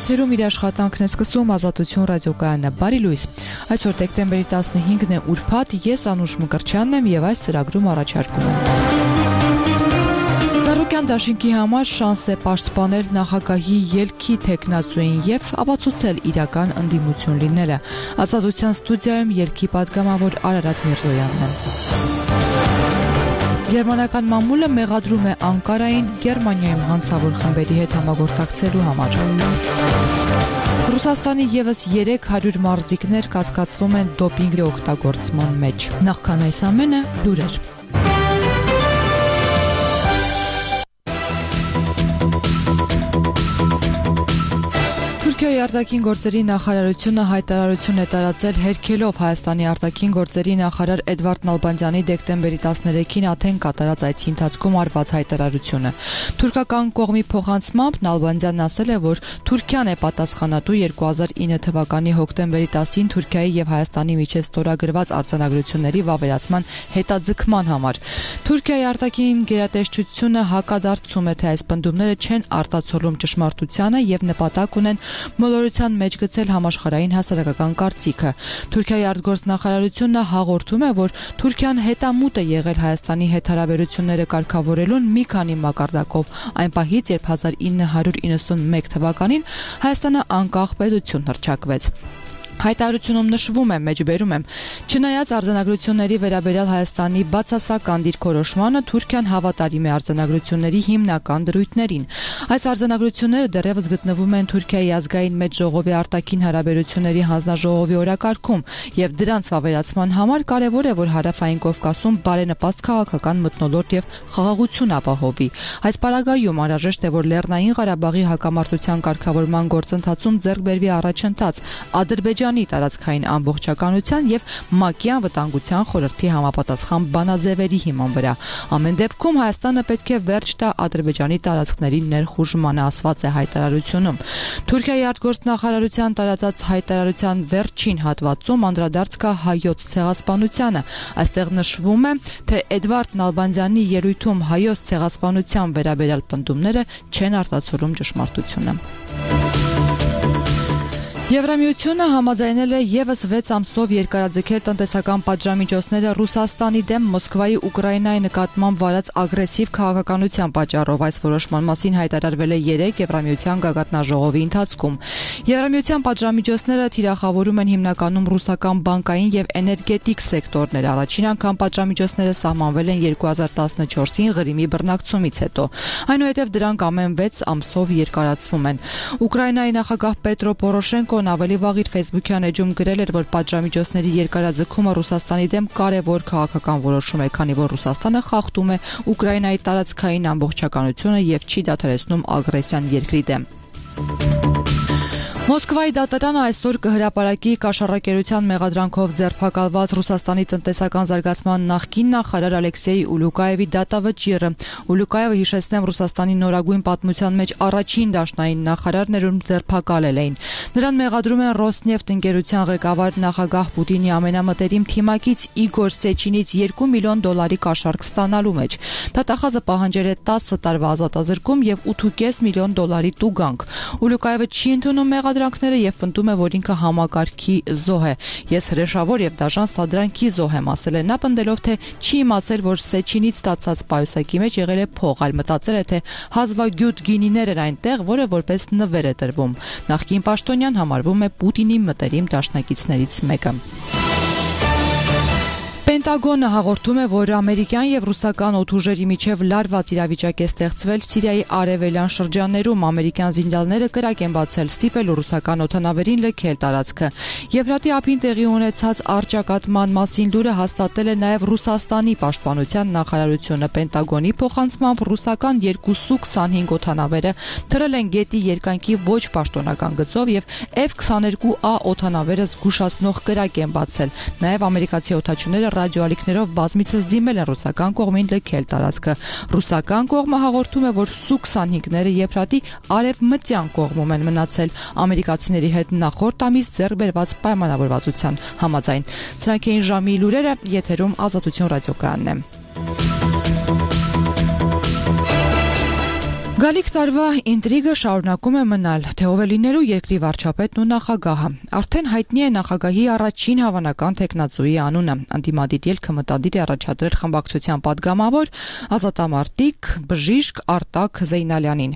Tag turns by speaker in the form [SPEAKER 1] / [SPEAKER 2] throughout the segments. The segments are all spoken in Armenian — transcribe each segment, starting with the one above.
[SPEAKER 1] Եթերում իր աշխատանքն է սկսում Ազատություն ռադիոկայանը։ Բարի լույս։ Այսօր դեկտեմբերի 15-ն է ուրբաթ, ես Անուշ Մկրտչյանն եմ եւ այս ծրագրում առաջարկում եմ։ Ծառուկյան դաշինքի համար շանս է պաշտպանել նախագահի ելքի թեկնածուին եւ ապացուցել իրական ընդդիմություն լինելը։ Ազատության ստուդիայում ելքի պատգամավոր Արարատ Միրզոյանն է։ Գերմանական մամուլը մեղադրում է Անկարային Գերմանիայում հանցավոր խմբերի հետ համագործակցելու համար։ Ռուսաստանի եւս 300 մարզիկներ կասկածվում են դոպինգի օգտագործման մեջ։ Նախքան այս ամենը լուրեր։ Թուրքիայի արտաքին գործերի նախարարությունը հայտարարություն է տարածել հերքելով Հայաստանի արտաքին գործերի նախարար Էդվարդ Նալբանդյանի դեկտեմբերի 13-ին Աթեն կատարած այցի ընթացքում արված հայտարարությունը։ Թուրքական կողմի փոխանցմամբ Նալբանդյանն ասել է, որ Թուրքիան է պատասխանատու 2009 թվականի հոկտեմբերի 10-ին Թուրքիայի եւ Հայաստանի միջև ստորագրված արձանագրությունների վավերացման հետաձգման համար։ Թուրքիայի արտաքին գերատեսչությունը հակադարձում է, թե այս պնդումները չեն արտացոլում ճշմարտությանը եւ նպատակ ունեն մոլորության մեջ գցել համաշխարհային հասարակական կարծիքը։ Թուրքիայի արտգործնախարարությունը հաղորդում է, որ Թուրքիան հետամուտ է եղել Հայաստանի հետ հարաբերությունները կարգավորելուն մի քանի մակարդակով, այն պահից, երբ 1991 թվականին Հայաստանը անկախ պետություն հռչակվեց։ Հայտարարությունում նշվում է, մեջբերում եմ, չնայած արձանագրությունների վերաբերյալ Հայաստանի բացասական դիրքորոշմանը, Թուրքիան հավատարիմ է արձանագրությունների հիմնական դրույթներին։ Այս արձանագրությունները դեռևս գտնվում են Թուրքիայի ազգային մեծ ժողովի արտաքին հարաբերությունների հանձնաժողովի օրակարգում, եւ դրանց վավերացման համար կարևոր է, որ Հարավային Կովկասում բարենպաստ քաղաքական մթնոլորտ եւ խաղաղություն ապահովի։ Այս պարագայում անհրաժեշտ է, որ Լեռնային Ղարաբաղի հակամարտության կարգավորման գործընթացում ձեռք բերվի առաջընթաց Ադրբեջանի տարածքային ամբողջականության եւ ՄԱԿ-ի անվտանգության խորհրդի համապատասխան բանաձևերի հիման վրա։ Ամեն դեպքում Հայաստանը պետք է վերջ տա Ադրբեջանի տարածքների ներխուժմանը, ասված է հայտարարությունում։ Թուրքիայի արտգործնախարարության տարածած հայտարարության վերջին հատվածում անդրադարձ կա հայոց ցեղասպանությանը։ Այստեղ նշվում է, թե Էդվարդ Նալբանդյանի ելույթում հայոց ցեղասպանության վերաբերյալ պնդումները չեն արտացոլում ճշմարտությունը։ Եվրամիությունը համաձայնել է եւս 6 ամսով երկարաձգել տնտեսական պատժամիջոցները Ռուսաստանի դեմ Մոսկվայի Ուկրաինայի նկատմամբ վարած ագրեսիվ քաղաքականության պատճառով։ Այս որոշման մասին հայտարարվել է 3 Եվրամիության գագաթնաժողովի ընթացքում։ Եվրամիության պատժամիջոցները թիրախավորում են հիմնականում ռուսական բանկային եւ էներգետիկ սեկտորներ։ Առաջին անգամ պատժամիջոցները սահմանվել են 2014-ին Ղրիմի բռնակցումից հետո։ Այնուհետև դրանք ամեն 6 ամսով երկարացվում են։ Ուկրաինայի նախագահ Պետրո Պորոշենկոն ավելի վաղ իր Facebook-յան էջում գրել էր, որ պատժամիջոցների երկարաձգումը Ռուսաստանի դեմ կարևոր քաղաքական որոշում է, քանի որ Ռուսաստանը խախտում է Ուկրաինայի տարածքային ամբողջականությունը եւ չի դադարեցնում ագրեսիան երկրի դեմ։ Մոսկվայի դատարանը այսօր կհրապարակի կաշառակերության մեղադրանքով ձերբակալված Ռուսաստանի տնտեսական զարգացման նախկին նախարար Ալեքսեյ Ուլուկաևի դատավճիռը։ Ուլուկաևը, հիշեցնեմ, Ռուսաստանի նորագույն պատմության մեջ առաջին դաշնային նախարարն էր, ում ձերբակալել էին։ Նրան մեղադրում են Ռոսնեֆտ ընկերության ղեկավար նախագահ Պուտինի ամենամտերիմ թիմակից Իգոր Սեչինից $2 միլիոն կաշառք ստանալու մեջ։ Դատախազը պահանջել է 10 տարվա ազատազրկում եւ $8.5 միլիոն տուգանք։ Ուլուկաևը չի ընդունում մեղադրանքները եւ պնդում է, որ ինքը համակարգի զոհ է։ Ես հրեշավոր եւ դաժան սադրանքի զոհ եմ, ասել է նա, պնդելով, թե չի իմացել, որ Սեչինից ստացած պայուսակի մեջ եղել է փող, այլ մտածել է, թե հազվագյուտ գինիներ էր այնտեղ, որը որպես նվեր է տրվում։ Նախկին պաշտոնյան համարվում է Պուտինի մտերիմ դաշնակիցներից մեկը։ Պենտագոնը հաղորդում է, որ ամերիկյան եւ ռուսական օդուժերի միջև լարված իրավիճակ է ստեղծվել Սիրիայի արևելյան շրջաններում։ Ամերիկյան զինյալները կրակ են բացել ստիպելու ռուսական օդանավերին լքել տարածքը։ Եփրատի ափին տեղի ունեցած առճակատման մասին լուրը հաստատել է նաեւ Ռուսաստանի պաշտպանության նախարարությունը։ Պենտագոնի փոխանցմամբ ռուսական 225 օդանավերը թռել են գետի երկայնքի ոչ պաշտոնական գծով եւ F-22A օդանավերը զգուշացնող կրակ են բացել։ Նաեւ ամերիկացի օդաչուները ռադիոալիքներով բազմիցս դիմել են ռուսական կողմին լքել տարածքը։ Ռուսական կողմը հաղորդում է, որ Սու-25-ները Եփրատի արևմտյան կողմում են մնացել ամերիկացիների հետ նախորդ ամիս ձեռք բերված պայմանավորվածության համաձայն։ Սրանք էին ժամի լուրերը, եթերում Ազատություն ռադիոկայանն է։ Գալիք տարվա ինտրիգը շարունակում է մնալ, թե ով է լինելու երկրի վարչապետն ու նախագահը։ Արդեն հայտնի է նախագահի առաջին հավանական թեկնածուի անունը։ Անդիմադիր ելքը մտադիր է առաջադրել խմբակցության պատգամավոր ազատամարտիկ բժիշկ Արտակ Զեյնալյանին։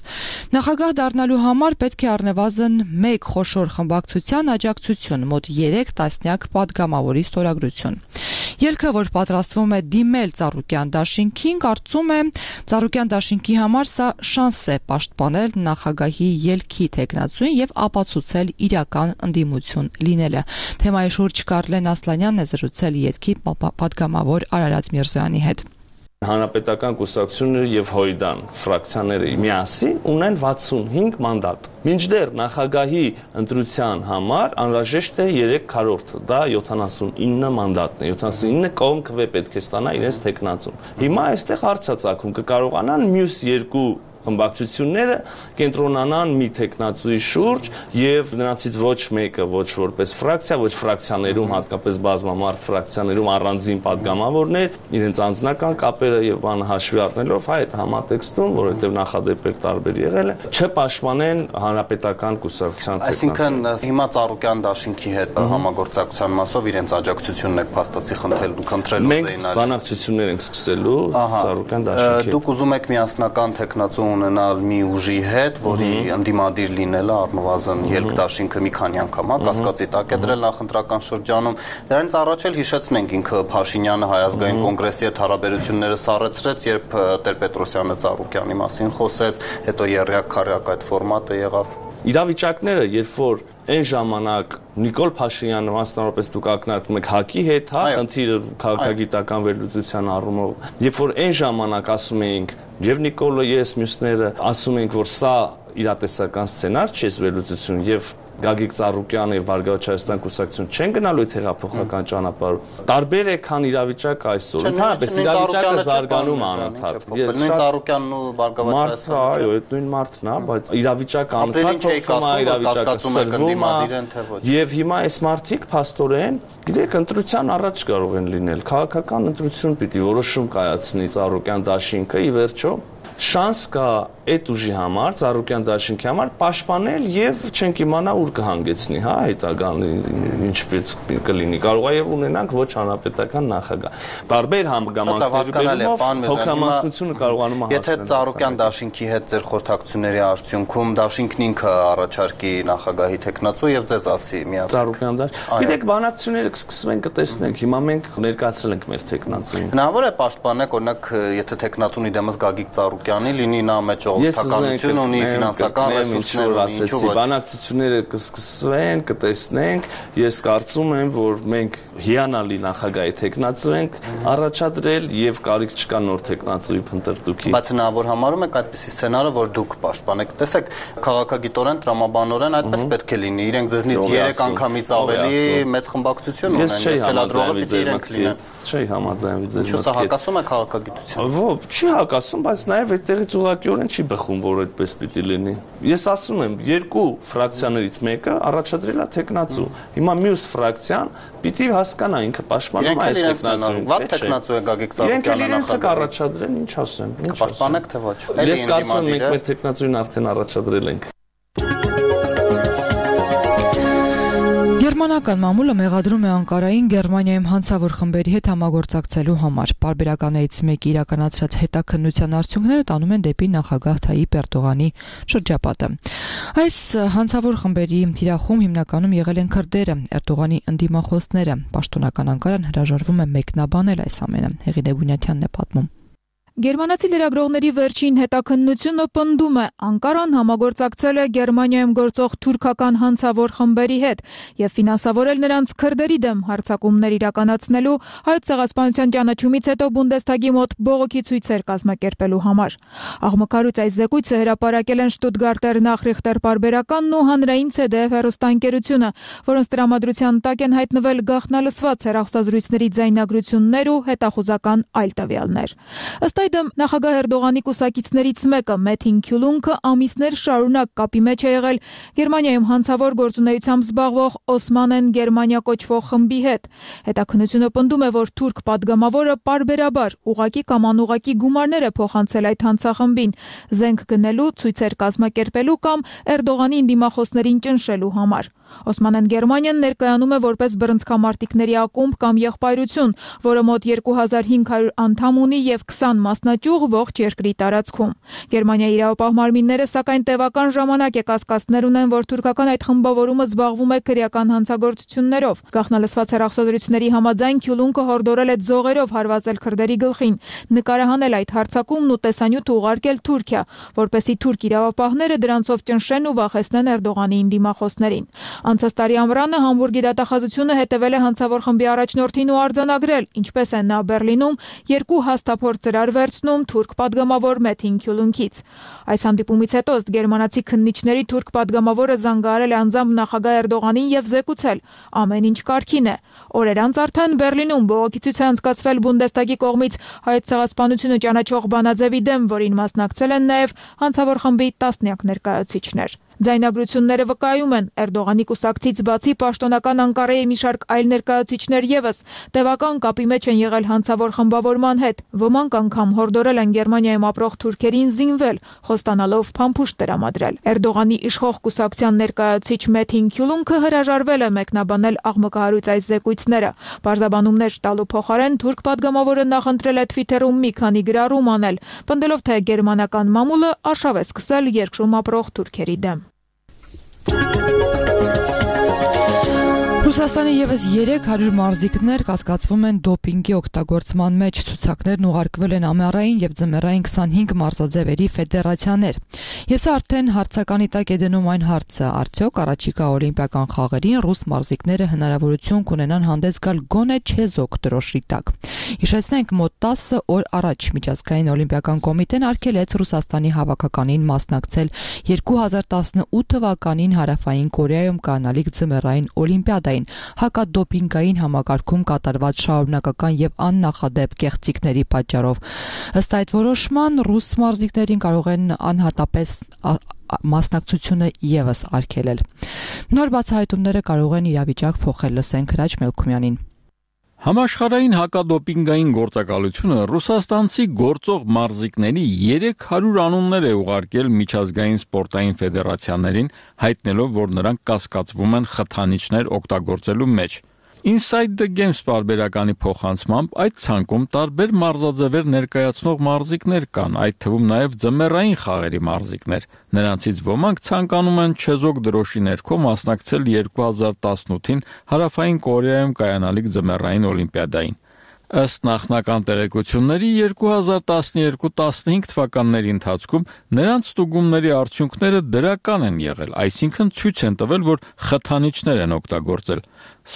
[SPEAKER 1] Նախագահ դառնալու համար պետք է առնվազն 1 խոշոր խմբակցության աջակցություն, մոտ 3 տասնյակ պատգամավորի ստորագրություն։ Ելքը, որ պատրաստվում է դիմել Ծառուկյան դաշինքին, կարծում է Ծառուկյան դաշինքի համար սա շանս է պաշտպանել նախագահի ելքի թեկնածուին եւ ապացուցել իրական ընդդիմություն լինելը։ Թեմայի շուրջ Կարլեն Ասլանյանն է զրուցել ԵՏԿ-ի պատգամավոր Արարատ Միրզոյանի հետ։
[SPEAKER 2] Հանրապետական կուսակցությունները եւ Հոյդան ֆրակցիաները միասին ունեն 65 մանդատ։ Մինչդեռ նախագահի ընտրության համար անհրաժեշտ է 3/4, դա 79 մանդատն է, 79 կողմ քվե պետք է ստանա իրենց թեկնածուն։ Հիմա այստեղ հարց է ծագում, կկարողանան մյուս երկու խմբակցությունները կենտրոնանան մի թեկնածուի շուրջ եւ նրանցից ոչ մեկը ոչ որպես ֆրակցիա, ոչ ֆրակցիաներում, հատկապես բազմամարդ ֆրակցիաներում առանձին պատգամավորներ, իրենց անձնական կապերը եւ բանը հաշվի առնելով այդ համատեքստում, որովհետեւ նախադեպեր տարբեր եղել է, չպաշտպանեն հանրապետական կուսակցության
[SPEAKER 3] Այսինքն հիմա Ծառուկյան դաշինքի հետ համագործակցության մասով իրենց աջակցությունն եք փաստացի խնդրելու
[SPEAKER 2] Մենք բանակցություններ ենք սկսելու Ծառուկյան դաշինքի։
[SPEAKER 3] Դուք ուզում եք միասնական թեկնածու ունենալ մի ուժի հետ, որի ընդդիմադիր լինելը առնվազն ելք դաշինքը մի քանի անգամ կասկածի տակ է դրել նախընտրական շրջանում։ Դրանից առաջ էլ հիշեցնենք ինքը Փաշինյանը Հայ ազգային կոնգրեսի հետ հարաբերությունները սառեցրեց, երբ Տեր-Պետրոսյանը Ծառուկյանի մասին խոսեց, հետո երրյակ-քառյակ այդ ֆորմատը եղավ։
[SPEAKER 2] Իրավիճակները, երբ որ այն ժամանակ Նիկոլ Փաշինյանը մասնավորապես դուք ակնարկում եք ՀԱԿ-ի հետ, խնդիրը քաղաքագիտական վերլուծության առումով, երբ որ այն ժամանակ ասում էինք եւ Նիկոլը, ես, մյուսները ասում ենք, որ սա իրատեսական սցենար չէ, վերլուծություն եւ Գագիկ Ծառուկյանը եւ Բարգավաճ Հայաստան կուսակցություն չեն գնալու այդ հեղափոխական ճանապարհով։ Տարբեր է, քան իրավիճակը այսօր։ Ընդհանրապես իրավիճակը զարգանում է անընդհատ։
[SPEAKER 3] Նույն Ծառուկյանն ու Բարգավաճ
[SPEAKER 2] Հայաստանը։ Այո, այդ նույն մարդն է, բայց իրավիճակը անընդհատ փոխվում է, իրավիճակը սրվում է։ Եվ հիմա այս մարդիկ փաստորեն, գիտեք, ընտրության առաջ կարող են լինել։ Քաղաքական ընտրություն պիտի որոշում կայացնի Ծառուկյան դաշինքը, ի վերջո շանս կա այդ ուժի համար, Ծառուկյան դաշինքի համար պաշտպանել եւ չենք իմանա ուր կհանգեցնի, հա, հետագան ինչպես կլինի։ Կարող է եւ ունենանք ոչ հանրապետական նախագահ։ Տարբեր համագամանքներով հոգամասնությունը կարողանում է հասնել։
[SPEAKER 3] Եթե Ծառուկյան դաշինքի հետ ձեր խորհրդակցությունների արդյունքում դաշինքն ինքը առաջարկի նախագահի թեկնածու եւ ձեզ ասի միացեք։
[SPEAKER 2] Ծառուկյան դաշինք։ Գիտեք, բանակցությունները կսկսվեն, կտեսնենք։ Հիմա մենք ներկայացրել ենք մեր թեկնածուին։
[SPEAKER 3] Հնարավոր է պաշտպանեք, օրինակ, եթե թեկնածունի դեմս Գագիկ Ծառուկյանի լինի, նա մեջ օգտականություն ունի, ֆինանսական ռեսուրսներ ունի, ինչու ոչ։
[SPEAKER 2] Բանակցությունները կսկսվեն, կտեսնենք։ Ես կարծում եմ, որ մենք հիանալի նախագահի թեկնածու ենք առաջադրել եւ կարիք չկա նոր թեկնածուի փնտրտուքի։
[SPEAKER 3] Բայց հնարավոր համարում եք այդպիսի սցենարը, որ դուք պաշտպանեք։ Տեսեք, քաղաքագիտորեն, տրամաբանորեն այդպես պետք է լինի։ Իրենք ձեզնից 3 անգամից ավելի մեծ խմբակցություն ունեն, եւ թելադրողը պիտի իրենք լինեն։
[SPEAKER 2] Չի համաձայնվի ձեր
[SPEAKER 3] մտքին։ Ինչու՞ սա հակասում է քաղաքագիտությանը։
[SPEAKER 2] Ոչ, չի հակասում, բայց նաեւ այդտեղից ուղղակիորեն չի բխում, որ այդպես պիտի լինի։ Ես ասում եմ, երկու ֆրակցիաներից մեկը առաջադրել է թեկնածու։ Հիմա մյուս ֆրակցիան պիտի հասկանա ինքը պաշտպանում այս թեկնածուն։
[SPEAKER 3] Վատ թեկնածու է Գագիկ Ծառուկյանը
[SPEAKER 2] նախագահ առաջադրեն, ինչ ասեմ։
[SPEAKER 3] Պաշտպանեք թե ոչ։
[SPEAKER 2] Ես կարծում եմ, մենք մեր թեկնածուին արդեն առաջադրել ենք։
[SPEAKER 1] Գերմանական մամուլը մեղադրում է Անկարային Գերմանիայում հանցավոր խմբերի հետ համագործակցելու համար։ Պարբերականներից մեկի իրականացրած հետաքննության արդյունքները տանում են դեպի նախագահ Թայիպ Էրդողանի շրջապատը։ Այս հանցավոր խմբերի թիրախում հիմնականում եղել են քրդերը, Էրդողանի ընդդիմախոսները։ Պաշտոնական Անկարան հրաժարվում է մեկնաբանել այս ամենը։ Հեղինե Բունյաթյանն է պատմում։
[SPEAKER 4] Գերմանացի լրագրողների վերջին հետաքննությունը պնդում է, Անկարան համագործակցել է Գերմանիայում գործող թուրքական հանցավոր խմբերի հետ եւ ֆինանսավորել նրանց քրդերի դեմ հարձակումներ իրականացնելու Հայոց ցեղասպանության ճանաչումից հետո Բունդեսթագի մոտ բողոքի ցույցեր կազմակերպելու համար։ Աղմկարուց այս զեկույցը հրապարակել են Շտուտգարտեր Նախրիխտեր պարբերականն ու հանրային CDF հեռուստաընկերությունը, որոնց տրամադրության տակ են հայտնվել գաղտնալսված հեռախոսազրույցների ձայնագրություններ ու հետախուզական այլ տվյալներ։ Ըստ Այս այդմ նախագահ Էրդողանի կուսակիցներից մեկը Մեթին Քյուլունքը ամիսներ շարունակ կապի մեջ է եղել Գերմանիայում հանցավոր գործունեությամբ զբաղվող Օսմանեն Գերմանիա կոչվող խմբի հետ։ Հետաքննությունը պնդում է, որ թուրք падգամավորը պարբերաբար ուղղակի կամ անուղղակի գումարներ է փոխանցել այդ հանցախմբին զենք գնելու, ցույցեր կազմակերպելու կամ Էրդողանին դիմախոսներին ճնշելու համար։ Օսմանեն Գերմանիան ներկայանում է որպես բռնցքամարտիկների ակումբ կամ եղբայրություն, որը մոտ 2500 անդամ ունի եւ 20 մասնաճյուղ ողջ երկրի տարածքում։ Գերմանիայի իրավապահ մարմինները սակայն տևական ժամանակ է կասկածներ ունեն, որ թուրքական այդ խմբավորումը զբաղվում է քրեական հանցագործություններով։ Գաղտնալսված հեռախոսադրությունների համաձայն Քյուլունքը հորդորել է ձողերով հարվածել քրդերի գլխին, նկարահանել այդ հարձակումն ու տեսանյութ ուղարկել Թուրքիա, որպեսզի թուրք իրավապահները դրանցով ճնշեն ու վախեցնեն Էրդողանին դիմախոսներին։ Անցած տարի ամռանը Համբուրգի դատախազությունը հետևել է հանցավոր խմբի առաջնորդին ու արձանագրել, ինչպես է նա Բերլինում 2 հաստափորձ ծրար վերցնում թուրք падգամավոր Մեթին Քյուլունքից։ Այս հանդիպումից հետո ըստ գերմանացի քննիչների թուրք падգամավորը զանգահարել է անձամբ նախագահ Էրդողանին եւ զեկուցել. ամեն ինչ կարգին է։ Օրեր անց արդեն Բերլինում բողոքի ցույց է անցկացվել Բունդեստագի կողմից հայոց ցեղասպանությունը ճանաչող բանաձևի դեմ, որին մասնակցել են նաեւ հանցավոր խմբի տասնյակ ներկայացուցիչներ։ Ձայնագրությունները վկայում են Էրդողանի կուսակցից բացի պաշտոնական Անկարայի մի շարք այլ ներկայացուցիչներ եւս տևական կապի մեջ են եղել հանցավոր խմբավորման հետ։ Ոմանք անգամ հորդորել են Գերմանիայում ապրող թուրքերին զինվել, խոստանալով փամփուշտ տրամադրել։ Էրդողանի իշխող կուսակցության ներկայացուցիչ Մեթին Քյուլունքը հրաժարվել է մեկնաբանել աղմկահարույց այս զեկույցները։ Բարձաբանումներ տալու փոխարեն թուրք падգամավորը նախընտրել է Twitter-ում մի քանի գրառում անել, պնդելով թե գերմանական մամուլը արշավ է սկսել երկրում ապրող թուրքերի դեմ։
[SPEAKER 1] Ռուսաստանի եւս 300 մարզիկներ կասկածվում են դոպինգի օգտագործման մեջ։ Ցուցակներն ուղարկվել են ամառային եւ ձմեռային 25 մարզաձևերի ֆեդերացիաներ։ Ես արդեն հարցականի տակ է դնում այն հարցը, արդյոք առաջիկա օլիմպիական խաղերին ռուս մարզիկները հնարավորություն կունենան հանդես գալ գոնե չեզոք դրոշի տակ։ Հիշեցնենք, մոտ 10 օր առաջ Միջազգային օլիմպիական կոմիտեն արգելեց Ռուսաստանի հավաքականին մասնակցել 2018 թվականին Հարավային Կորեայում կանալիք ձմեռային օլիմպիադային հակադոպինգային համակարգում կատարված շարունակական եւ աննախադեպ կեղծիքների պատճառով։ Ըստ այդ որոշման ռուս մարզիկներին կարող են անհատապես մասնակցությունը եւս արգելել։ Նոր բացահայտումները կարող են իրավիճակ փոխել, լսենք Հրաչ Մելքումյանին։
[SPEAKER 5] Համաշխարհային հակադոպինգային գործակալությունը ռուսաստանցի գործող մարզիկների 300 անուններ է ուղարկել միջազգային սպորտային ֆեդերացիաներին, հայտնելով, որ նրանք կասկածվում են խթանիչներ օգտագործելու մեջ։ Inside the Games պարբերականի փոխանցմամբ այդ ցանկում տարբեր մարզաձևեր ներկայացնող մարզիկներ կան, այդ թվում նաև ձմեռային խաղերի մարզիկներ։ Նրանցից ոմանք ցանկանում են չեզոք դրոշի ներքո մասնակցել 2018-ին Հարավային Կորեայում կայանալիք ձմեռային օլիմպիադային։ Ըստ նախնական տեղեկությունների 2012-15 թվականների ընթացքում նրանց ստուգումների արդյունքները դրական են եղել, այսինքն ցույց են տվել, որ խթանիչներ են օգտագործել։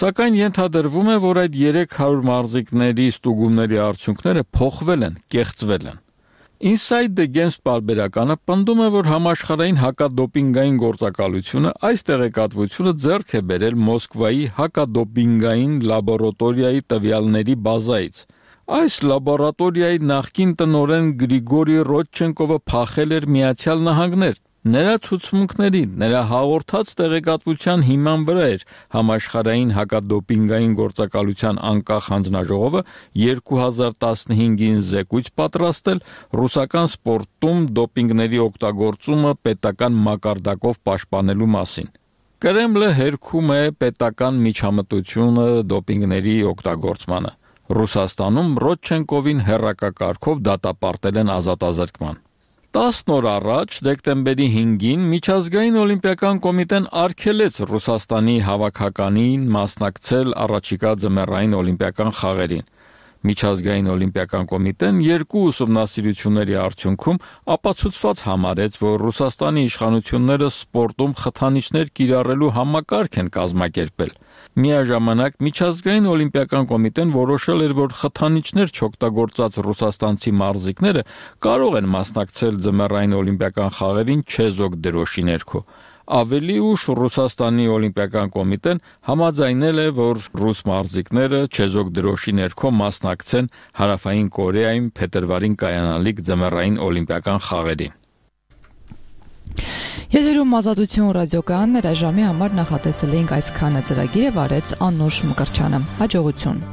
[SPEAKER 5] Սակայն ենթադրվում է, որ այդ 300 մարզիկների ստուգումների արդյունքները փոխվել են, կեղծվել են։ Inside the Games պարբերականը պնդում է, որ համաշխարհային հակադոպինգային գործակալությունը այս տեղեկատվությունը ձեռք է բերել Մոսկվայի հակադոպինգային լաբորատորիայի տվյալների բազայից։ Այս լաբորատորիայի նախկին տնօրեն Գրիգորի Ռոդչենկովը փախել էր Միացյալ Նահանգներ։ Նրա ցուցմունքների, նրա հաղորդած տեղեկատվության հիման վրա էր համաշխարհային հակադոպինգային գործակալության անկախ հանձնաժողովը 2015-ին զեկույց պատրաստել ռուսական սպորտում դոպինգների օգտագործումը պետական մակարդակով պաշտպանելու մասին։ Կրեմլը հերքում է պետական միջամտությունը դոպինգների օգտագործմանը։ Ռուսաստանում Ռոդչենկովին հերրակակարգով դատապարտել են ազատազրկման։ 10 օր առաջ, դեկտեմբերի 5-ին, Միջազգային օլիմպիական կոմիտեն արգելեց Ռուսաստանի հավաքականին մասնակցել առաջիկա ձմեռային օլիմպիական խաղերին։ Միջազգային օլիմպիական կոմիտեն երկու ուսումնասիրությունների արդյունքում ապացուցված համարեց, որ Ռուսաստանի իշխանությունները սպորտում խթանիչներ կիրառելու համակարգ են կազմակերպել։ Միաժամանակ Միջազգային օլիմպիական կոմիտեն որոշել էր, որ խթանիչներ չօգտագործած ռուսաստանցի մարզիկները կարող են մասնակցել ձմեռային օլիմպիական խաղերին չեզոք դրոշի ներքո։ Ավելի ուշ Ռուսաստանի օլիմպիական կոմիտեն համաձայնել է, որ ռուս մարզիկները չեզոք դրոշի ներքո մասնակցեն Հարավային Կորեայում փետրվարին կայանալիք ձմեռային օլիմպիական խաղերին։
[SPEAKER 1] Եթերում Ազատություն ռադիոկայանն ժամի համար նախատեսել էինք այսքանը, ծրագիրը վարեց Անուշ Մկրչյանը։ Հաջողություն։